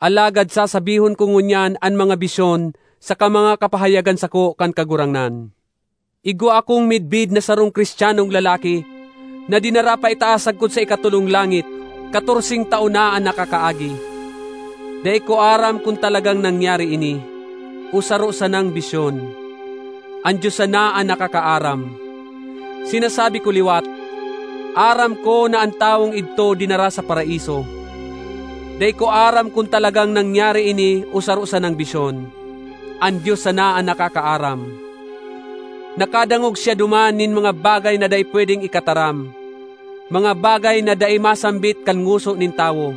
Alagad sasabihon ko ngunyan an mga bisyon saka mga kapahayagan sako kan Kagurangnan. Igwa akong midbid na sarong Cristianong lalaki na dinara pa itaas sagkod sa ikatolong langit, katorseng taon na an nakakaagi. Dai ko aram kun talagang nangyari ini, o saro sanang bisyon. An Dios sana an nakakaaram. Sinasabi ko liwat, aram ko na an tawong idto dinara sa Paraiso. Dai ko aram kun talagang nangyari ini o saro sanang bisyon. An Dios sana an nakakaaram. Nakadangog siya duman nin mga bagay na dai pwedeng ikataram, mga bagay na dai masambit kan ngoso nin tawo.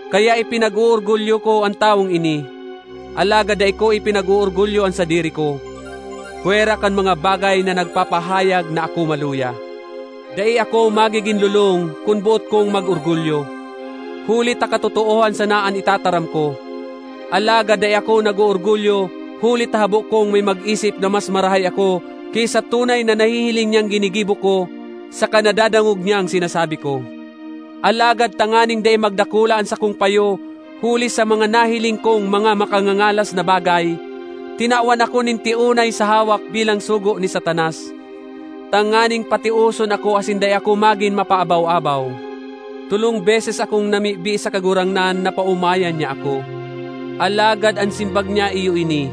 Kaya ipinag-oorgulyo ko an tawong ini, alagad dai ko ipinag-oorgulyo an sadiri ko, pwera kan mga bagay na nagpapahayag na ako maluya. Dai ako magigin lolong kun boot kong mag-orgulyo, huli ta katotoohan sana an itataram ko. Alagad dai ako nag-oorgulyo, huli ta habo kong may mag-isip na mas marahay ako ki sa tunay na nahihiling niyang ginigibo ko saka nadadangog niyang sinasabi ko. Alagad tanganing dai magdakula an sakong payo huli sa mga nahiling kong mga makangangalas na bagay, tinawan ako nin tiunay sa hawak bilang sugo ni Satanas, tanganing patioson ako asin dai ako magin mapaabaw-abaw. Tolong beses akong namibi sa Kagurangnan na paomayan niya ako. Alagad an simbag niya iyo ini,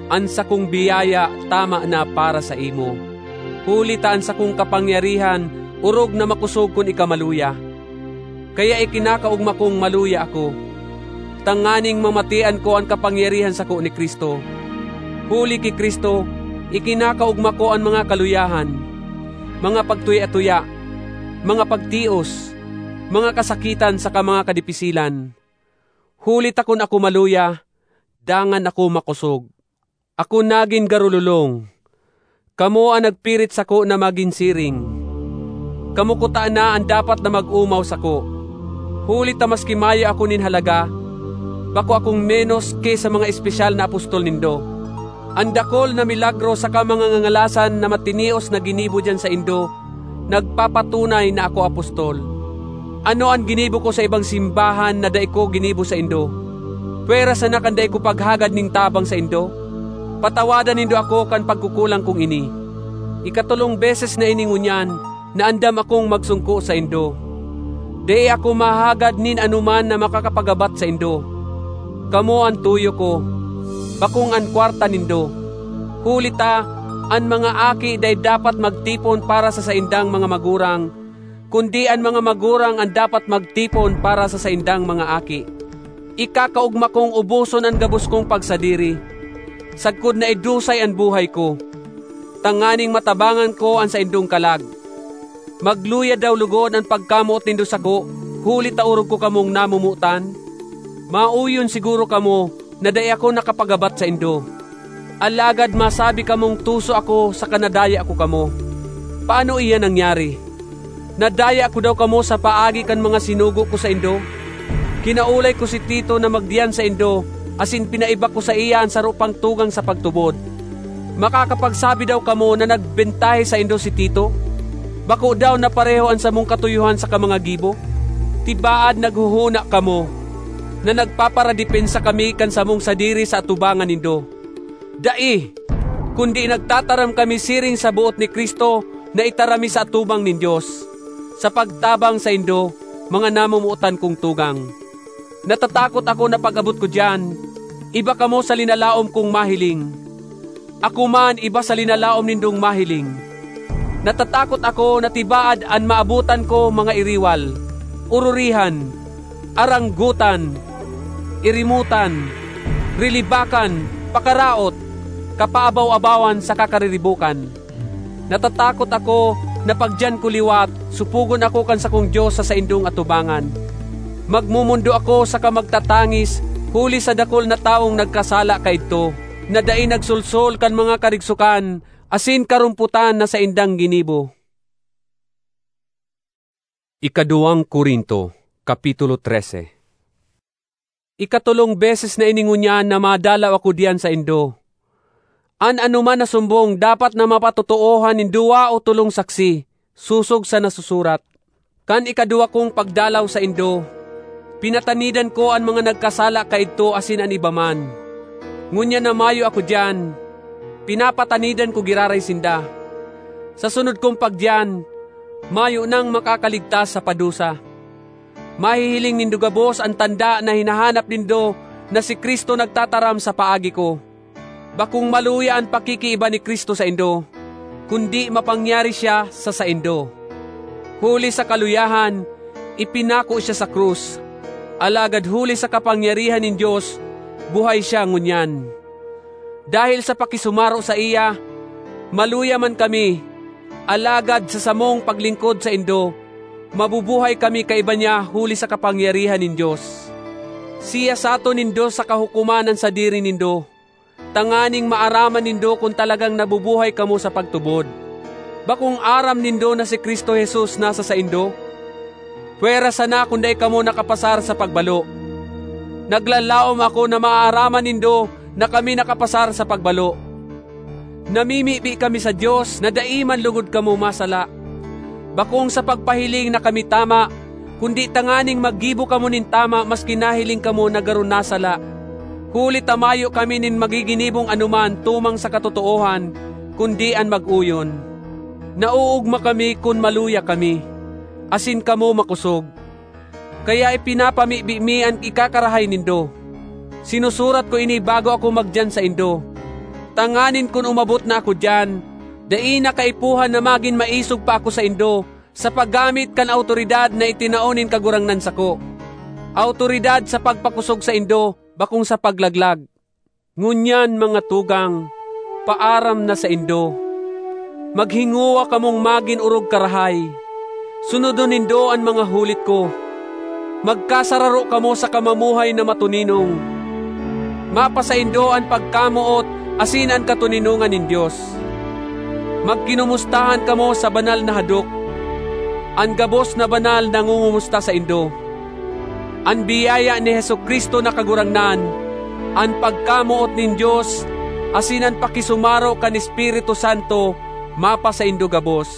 "An sakong biyaya tama na para saimo, huli ta an sakong kapangyarihan orog na makosog kun ika maluya." Kaya ikinakaogma kong maluya ako, tanganing mamatian ko an kapangyarihan sako ni Cristo. Huli ki Cristo, ikinakaogma ko an mga kaluyahan, mga pagtuya-tuya, mga pagtios, mga kasakitan saka mga kadipisilan. Huli ta kun ako maluya, dangan ako makosog. Ako nagin garulolong. Kamo an nagpirit sako na magin siring. Kamo kutana an dapat na mag-omaw sako. Huli ta maski mayo ako nin halaga, bako akong menos ki sa mga espesyal na apostol nindo. An dakul na milagro saka mga ngangalasan na matinios na ginibo diyan saindo, nagpapatunay na ako apostol. Ano an ginibo ko sa ibang simbahan na dai ko ginibo saindo? Pwera sana kan dai ko paghagad nin tabang saindo? Patawadan nindo ako kan pagkukulang kong ini. Ikatolong beses na ini ngunyan na andam akong magsungko saindo. Dai ako mahagad nin anoman na makakapagabat saindo. Kamo an tuyo ko, bakong an kwarta nindo. Huli ta, An mga aki dai dapat magtipon para sa saindang mga magurang, kundi an mga magurang an dapat magtipon para sa saindang mga aki. Ikakaogma kong uboson an gabos kong pagsadiri, sagkod na idusay an buhay ko, tanganing matabangan ko an saindong kalag. Magluya daw logod an pagkamoot nindo sako, huli ta orog ko kamong namomotan? Mauyon siguro kamo na dai ako nakapagabat saindo. Alagad masabi kamong tuso ako saka nadaya ko kamo. Paano iyan nangyari? Nadaya ko daw kamo sa paagi kan mga sinugo ko saindo? Kinaulay ko si Tito na magdiyan saindo, asin pinaiba ko saiya an saro pang tugang sa pagtubod. Makakapagsabi daw kamo na nagbentahe saindo si Tito? Bako daw na pareho an samong katuyohan saka mga gibo? Tibaad naghohona kamo na nagpaparadepensa kami kan samong sadiri sa atubangan nindo. Dai! Kundi nagtataram kami siring sa boot ni Cristo na itaram mi sa atubang nin Dios, sa pagtabang saindo, mga namomotan kong tugang. Natatakot ako na pag-abot ko diyan, iba kamo sa linalaom kong mahiling. Ako man iba sa linalaom nindong mahiling. Natatakot ako na tibaad an maabotan ko mga iriwal, ororihan, aranggotan, irimotan, rilibakan, pakaraot, kapaabaw-abawan saka kariribokan. Natatakot ako na pagdiyan ko liwat, supogon ako kan sakong Dios sa saindong atubangan. Magmomondo ako saka magtatangis huli sa dakul na tawong nagkasala kaidto, na dai nagsolsol kan mga karigsokan asin karompotan na saindang ginibo. Ikaduwang Corinto, Kapitulo trese. Ikatolong beses na ini ngunyan na madalaw ako diyan saindo. An anoman na sumbong dapat na mapatotoohan nin duwa o tolong saksi, sosog sa nasusurat. Kan ikaduwa kong pagdalaw saindo, pinatanidan ko an mga nagkasala kaidto asin an iba man. Ngunyan na mayo ako diyan, pinapatanidan ko giraray sinda. Sa sunod kong pagdiyan, mayo nang makakaligtas sa padusa. Mahihiling nindo gabos an tanda na hinahanap nindo na si Cristo nagtataram sa paagi ko. Bakong maluya an pakikiiba ni Cristo saindo, kundi mapangyari siya sa saindo. Huli sa kaluyahan, ipinako siya sa krus, alagad huli sa kapangyarihan nin Dios, buhay siya ngunyan. Dahil sa pakisumaro saiya, maluya man kami, alagad sa samong paglingkod saindo, mabubuhay kami kaiba niya huli sa kapangyarihan nin Dios. Siyasaton nindo sa kahukoman an sadiri nindo, tanganing maaraman nindo kun talagang nabubuhay kamo sa pagtubod. Bakong aram nindo na si Cristo Jesus nasa saindo? Pwera sana kun dai kamo nakapasar sa pagbalo. Naglalaom ako na maaaraman nindo na kami nakapasar sa pagbalo. Namimibi kami sa Dios na dai man lugod kamo masala. Bakong sa pagpahiling na kami tama, kundi tanganing maggibo kamo nin tama maski nahiling kamo na garo nasala. Huli ta mayo kami nin magiginibong anoman tumang sa katotoohan, kundi an mag-oyon. Naoogma kami kun maluya kami, asin kamo makosog. Kaya ipinapamibi mi an ikakarahay nindo. Sinusurat ko ini bago ako magdiyan saindo, tanganing kun umabot na ako diyan, dai na kaipuhan na magin maisog pa ako saindo sa paggamit kan awtoridad na itinao nin Kagurangnan sako, awtoridad sa pagpakosog saindo, bakong sa paglaglag. Ngunyan, mga tugang, paaram na saindo. Maghingowa kamong magin orog karahay. Sunodon nindo an mga hulit ko. Magkasararo kamo sa kamamuhay na matoninong. Mapasaindo an pagkamoot asin an katoninongan nin Dios. Magkinomustahan kamo sa banal na hadok. An gabos na banal nangongomusta saindo. An biyaya ni Jesu-Cristo na Kagurangnan, an pagkamoot nin Dios, asin an pakisumaro kan Espiritu Santo mapasaindo gabos.